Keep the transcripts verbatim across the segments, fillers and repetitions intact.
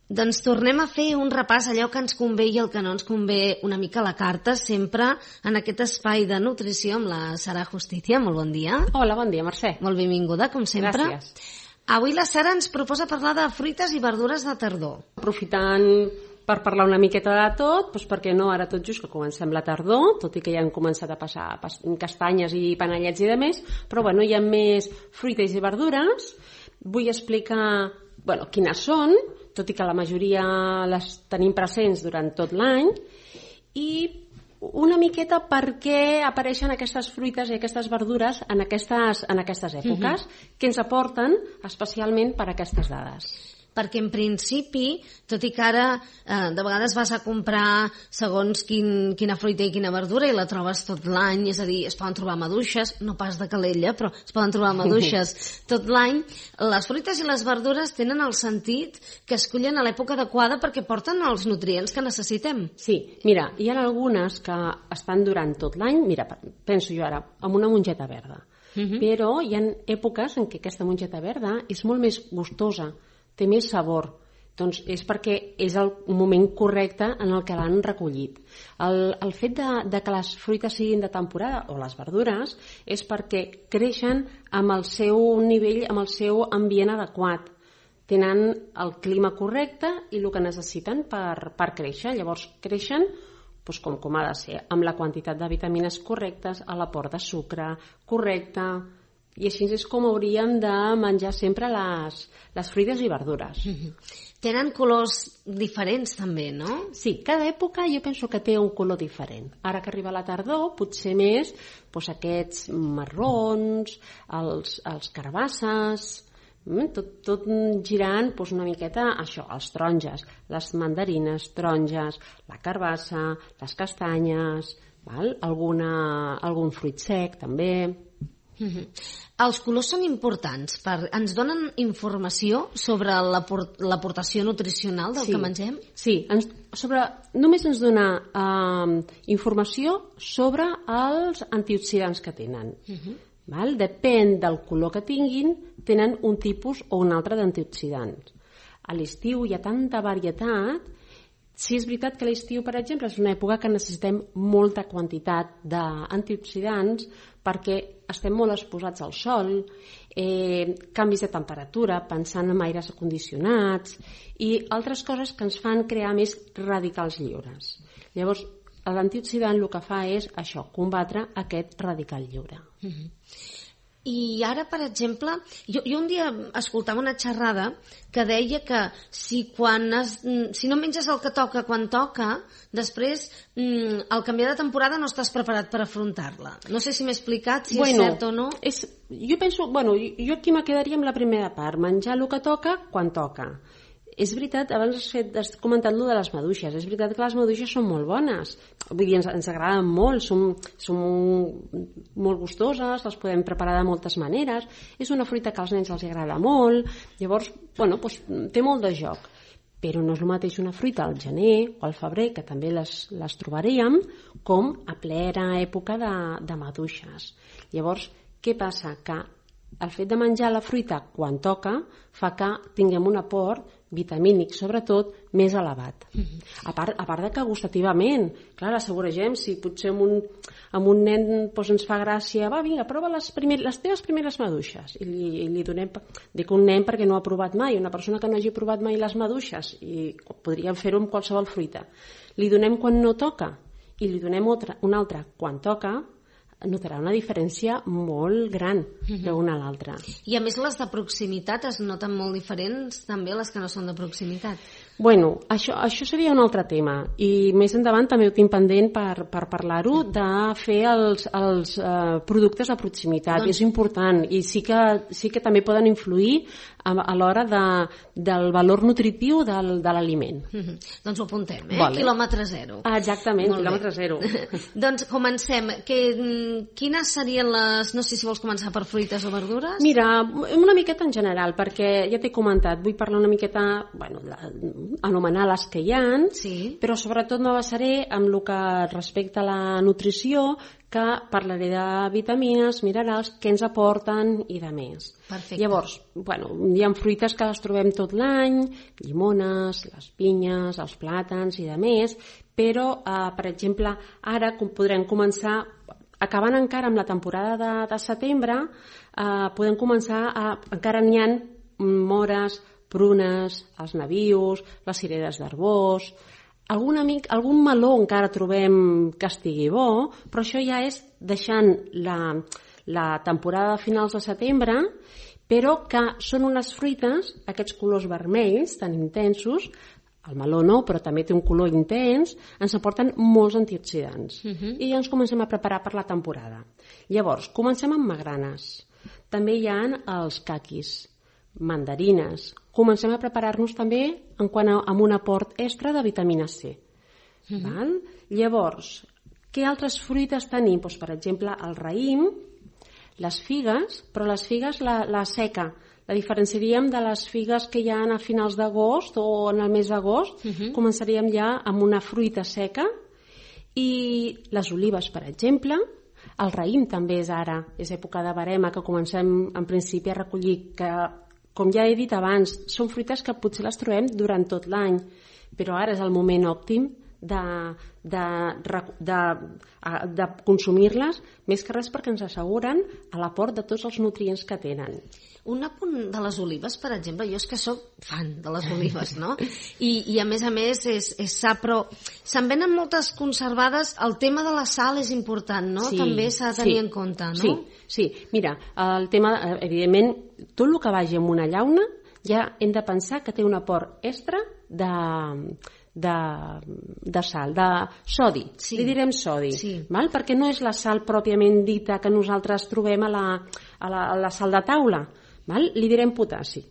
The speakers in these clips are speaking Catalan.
Doncs tornem a fer un repàs allò que ens convé i el que no ens convé una mica a la carta, sempre en aquest espai de nutrició amb la Sara Justicia. Molt bon dia. Hola, bon dia, Mercè. Molt benvinguda, com sempre. Gràcies. Avui la Sara ens proposa parlar de fruites i verdures de tardor. Aprofitant per parlar una miqueta de tot, doncs perquè no ara tot just que comencem la tardor, tot i que ja han començat a passar castanyes i panellets i de més, però bueno, hi ha més fruites i verdures. Vull explicar bueno, quines són, tot i que la majoria les tenim presents durant tot l'any, i una miqueta per què apareixen aquestes fruites i aquestes verdures en aquestes, en aquestes èpoques, uh-huh. que ens aporten especialment per aquestes dades. Perquè en principi, tot i que ara eh, de vegades vas a comprar segons quin, quina fruita i quina verdura i la trobes tot l'any, és a dir, es poden trobar maduixes, no pas de Calella, però es poden trobar maduixes tot l'any, les fruites i les verdures tenen el sentit que escollen a l'època adequada perquè porten els nutrients que necessitem. Sí, mira, hi ha algunes que estan durant tot l'any, mira, penso jo ara, amb una mongeta verda, uh-huh. però hi ha èpoques en què aquesta mongeta verda és molt més gustosa, té més sabor, doncs és perquè és el moment correcte en el que l'han recollit. El, el fet de, de que les fruites siguin de temporada, o les verdures, és perquè creixen amb el seu nivell, amb el seu ambient adequat. Tenen el clima correcte i el que necessiten per, per créixer. Llavors creixen doncs com, com ha de ser, amb la quantitat de vitamines correctes, a l'aport de sucre correcte. I així és com hauríem de menjar sempre les, les fruites i verdures. Mm-hmm. Tenen colors diferents també, no? Sí, cada època jo penso que té un color diferent. Ara que arriba la tardor, potser més doncs aquests marrons, els, els carbasses, tot, tot girant doncs una miqueta això, els taronges, les mandarines, taronges, la carbassa, les castanyes, val? Alguna, algun fruit sec també. Mm-hmm. Els colors són importants, per, ens donen informació sobre l'aportació nutricional del sí, que mengem? Sí, ens, sobre, només ens dona eh, informació sobre els antioxidants que tenen. Uh-huh. Val? Depèn del color que tinguin, tenen un tipus o un altre d'antioxidants. A l'estiu hi ha tanta varietat. Sí, és veritat que a l'estiu, per exemple, és una època que necessitem molta quantitat d'antioxidants perquè estem molt exposats al sol, eh, canvis de temperatura, pensant en aires condicionats i altres coses que ens fan crear més radicals lliures. Llavors, l'antioxidant el que fa és això, combatre aquest radical lliure. Mm-hmm. I ara, per exemple, jo, jo un dia escoltava una xerrada que deia que si, quan es, si no menges el que toca quan toca, després al canviar de temporada no estàs preparat per afrontar-la. No sé si m'he explicat, si bueno, és cert o no. És, jo penso, bueno, jo aquí me quedaria amb la primera part, menjar el que toca quan toca. És veritat, abans has, fet, has comentat allò de les maduixes, és veritat que les maduixes són molt bones, vull dir, ens, ens agraden molt, són, són molt gustoses, les podem preparar de moltes maneres, és una fruita que als nens els agrada molt, llavors, bueno, doncs, té molt de joc, però no és el mateix una fruita al gener o al febrer, que també les, les trobaríem, com a plena època de, de maduixes. Llavors, què passa? Que el fet de menjar la fruita quan toca fa que tinguem un aport vitamínic, sobretot, més elevat. Mm-hmm. A part, a part de que gustativament, clar, l'assaboregem, si potser amb un, amb un nen doncs ens fa gràcia, va, vinga, prova les, primer, les teves primeres maduixes, i li, i li donem, dic un nen perquè no ha provat mai, una persona que no hagi provat mai les maduixes, i podríem fer-ho amb qualsevol fruita, li donem quan no toca, i li donem otra, una altra quan toca, notarà una diferència molt gran d'una a l'altra. I a més les de proximitat es noten molt diferents també les que no són de proximitat. Bueno, això, això seria un altre tema i més endavant també ho tinc pendent per, per parlar-ho, de fer els, els uh, productes de proximitat. Doncs... és important i sí que, sí que també poden influir a, a l'hora de, del valor nutritiu del, de l'aliment. Mm-hmm. Doncs ho apuntem, eh? Vale. Quilòmetre zero. Ah, exactament, molt quilòmetre bé. Zero. Doncs comencem. Que, quines serien les... No sé si vols començar per fruites o verdures? Mira, una miqueta en general, perquè ja t'he comentat, vull parlar una miqueta, bueno, la, anomenar les que hi ha, sí. Però sobretot me basaré en el que respecta a la nutrició, que parlaré de vitamines, minerals, què ens aporten i de més. Perfecte. Llavors, bueno, hi ha fruites que les trobem tot l'any, llimones, les pinyes, els plàtans i de més, però, eh, per exemple, ara podrem començar, acabant encara amb la temporada de, de setembre, eh, podem començar a... Encara n'hi ha mores, prunes, els nabius, les cireres d'arbós... Algun, amic, algun meló encara trobem que estigui bo, però això ja és deixant la, la temporada de finals de setembre, però que són unes fruites, aquests colors vermells tan intensos, el meló no, però també té un color intens, ens aporten molts antioxidants. Uh-huh. I ja ens comencem a preparar per la temporada. Llavors, comencem amb magranes. També hi ha els caquis, mandarines. Comencem a preparar-nos també en quant a amb un aport extra de vitamina C. Mm-hmm. Val? Llavors, què altres fruites tenim? Doncs, per exemple, el raïm, les figues, però les figues la, la seca. La diferenciaríem de les figues que hi ha a finals d'agost o en el mes d'agost. Mm-hmm. Començaríem ja amb una fruita seca. I les olives, per exemple. El raïm també és ara, és època de verema, que comencem en principi a recollir, que com ja he dit abans, són fruites que potser les trobem durant tot l'any, però ara és el moment òptim de, de, de, de consumir-les, més que res perquè ens asseguren l'aport de tots els nutrients que tenen. Un apunt de les olives, per exemple, jo és que sóc fan de les olives, no? I, i a més a més és, és sa, però se'n venen moltes conservades, el tema de la sal és important, no? Sí, també s'ha de tenir sí, en compte, no? Sí, sí, mira, el tema, evidentment, tot el que vagi en una llauna ja hem de pensar que té un aport extra de... De, de sal, de sodi, sí. Li direm sodi, sí. Val? Perquè no és la sal pròpiament dita que nosaltres trobem a la, a la, a la sal de taula, val? Li direm potassi.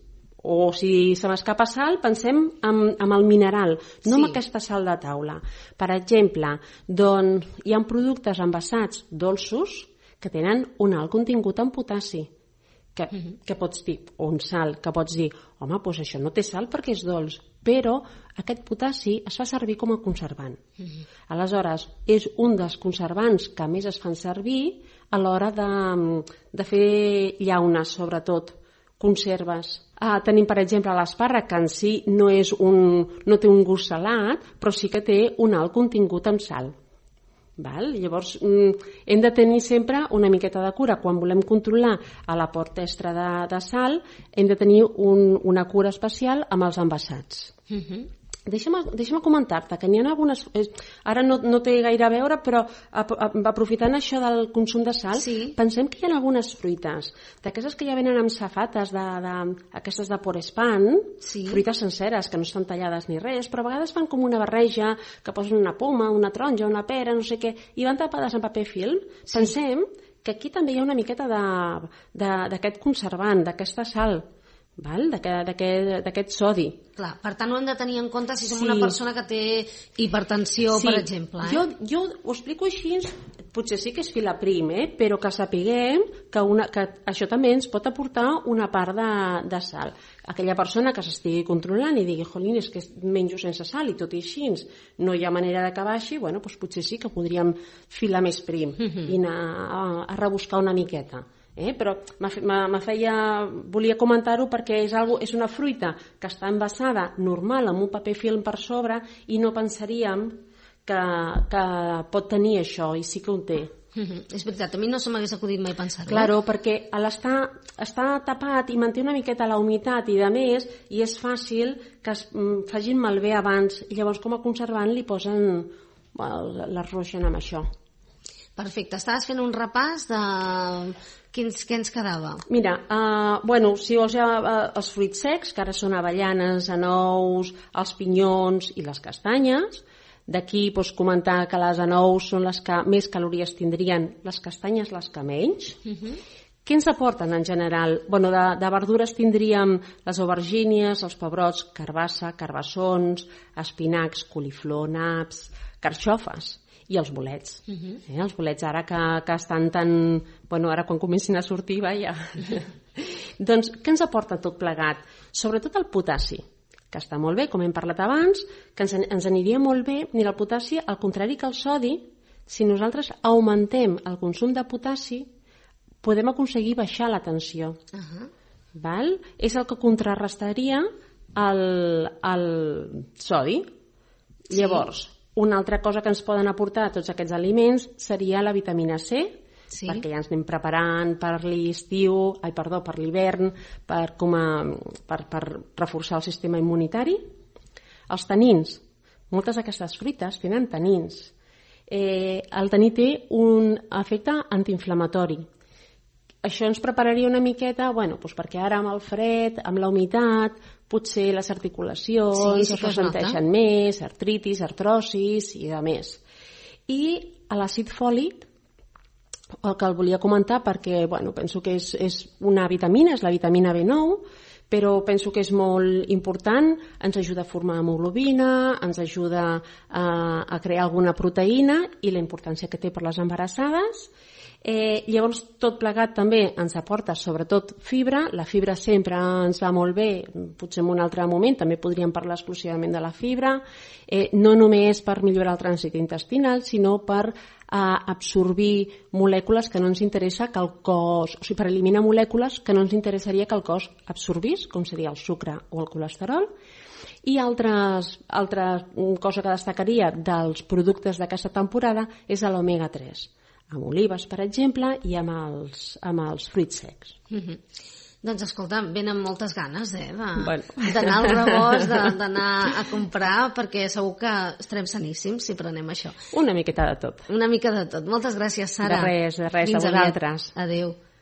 O si se m'escapa sal, pensem en, en el mineral, no sí. En aquesta sal de taula. Per exemple, doncs, hi ha productes envasats dolços que tenen un alt contingut en potassi. Que, uh-huh. que pots dir, o un sal, que pots dir, home, doncs això no té sal perquè és dolç, però aquest potassi es fa servir com a conservant. Uh-huh. Aleshores, és un dels conservants que més es fan servir a l'hora de, de fer llaunes, sobretot, conserves. Ah, tenim, per exemple, l'espàrrec, que en si no, és un, no té un gust salat, però sí que té un alt contingut en sal. Val? Llavors hem de tenir sempre una miqueta de cura quan volem controlar l'aport extra de, de sal, hem de tenir un, una cura especial amb els envasats. Uh-huh. Deixa'm, deixa'm comentar-te que n'hi ha algunes... Ara no, no té gaire a veure, però aprofitant això del consum de sal, sí. Pensem que hi ha algunes fruites, d'aquestes que ja venen amb safates, de, de, aquestes de Porespan, sí. Fruites senceres, que no estan tallades ni res, però a vegades fan com una barreja, que posen una poma, una taronja, una pera, no sé què, i van tapades en paper film. Sí. Pensem que aquí també hi ha una miqueta d'aquest conservant, d'aquesta sal, val? D'aquest sodi. Clar, per tant ho hem de tenir en compte si som sí. Una persona que té hipertensió, sí. Per exemple. Eh? Jo, jo ho explico així, potser sí que és filaprim, eh? Però que sapiguem que, una, que això també ens pot aportar una part de, de sal. Aquella persona que s'estigui controlant i digui, jolín, és que menjo sense sal i tot i així no hi ha manera de que baixi, bueno, doncs potser sí que podríem filar més prim mm-hmm. I anar a, a rebuscar una miqueta. Eh? Però me feia, volia comentar-ho perquè és, algo, és una fruita que està envasada normal amb un paper film per sobre i no pensaríem que, que pot tenir això, i sí que ho té. Mm-hmm. És veritat, a mi no se m'hagués acudit mai pensar-ho. Claro, perquè l'estar està tapat i manté una miqueta la humitat i de més, i és fàcil que es facin malbé abans, i llavors com a conservant li posen, bueno, l'arroixen amb això. Perfecte, estaves fent un repàs de quins, què ens quedava? Mira, uh, bueno, si vols ja uh, els fruits secs, que ara són avellanes, anous, els pinyons i les castanyes. D'aquí pots comentar que les anous són les que més calories tindrien, les castanyes les que menys. Uh-huh. Què ens aporten en general? Bueno, de, de verdures tindríem les aubergínies, els pebrots, carbassa, carbassons, espinacs, coliflor, naps, carxofes i els bolets. Uh-huh. eh, els bolets ara que, que estan tan... Bueno, ara quan comencin a sortir, vaja. Doncs què ens aporta tot plegat? Sobretot el potassi, que està molt bé, com hem parlat abans, que ens, ens aniria molt bé. Mira, el potassi, al contrari que el sodi, si nosaltres augmentem el consum de potassi, podem aconseguir baixar la tensió. Uh-huh. Val? És el que contrarrestaria el, el sodi. Sí. Llavors, una altra cosa que ens poden aportar tots aquests aliments seria la vitamina C, sí. perquè ja ens anem preparant per l'estiu, ai, perdó, per l'hivern, per, com a, per, per reforçar el sistema immunitari. Els tanins. Moltes d'aquestes fruites tenen tanins. Eh, el taní té un efecte antiinflamatori. Això ens prepararia una miqueta, bueno, doncs perquè ara amb el fred, amb la humitat, potser les articulacions sí, sí es ressenteixen més, artritis, artrosis i de més. I l'àcid fòlic, el que el volia comentar perquè bueno, penso que és, és una vitamina, és la vitamina B nou, però penso que és molt important, ens ajuda a formar hemoglobina, ens ajuda a, a crear alguna proteïna i la importància que té per les embarassades. Eh, llavors tot plegat també ens aporta sobretot fibra, la fibra sempre ens va molt bé, potser en un altre moment també podríem parlar exclusivament de la fibra, eh, no només per millorar el trànsit intestinal, sinó per eh, absorbir molècules que no ens interessa que el cos, o sigui, per eliminar molècules que no ens interessaria que el cos absorbís, com seria el sucre o el colesterol. I altres, altra cosa que destacaria dels productes d'aquesta temporada és l'omega tres. Amb olives, per exemple, i amb els, amb els fruits secs. Mm-hmm. Doncs escolta, venen moltes ganes eh, de, bueno. d'anar al rebost, de, d'anar a comprar, perquè segur que estarem saníssims si prenem això. Una miqueta de tot. Una mica de tot. Moltes gràcies, Sara. De res, de res, Fins a vosaltres. Adéu.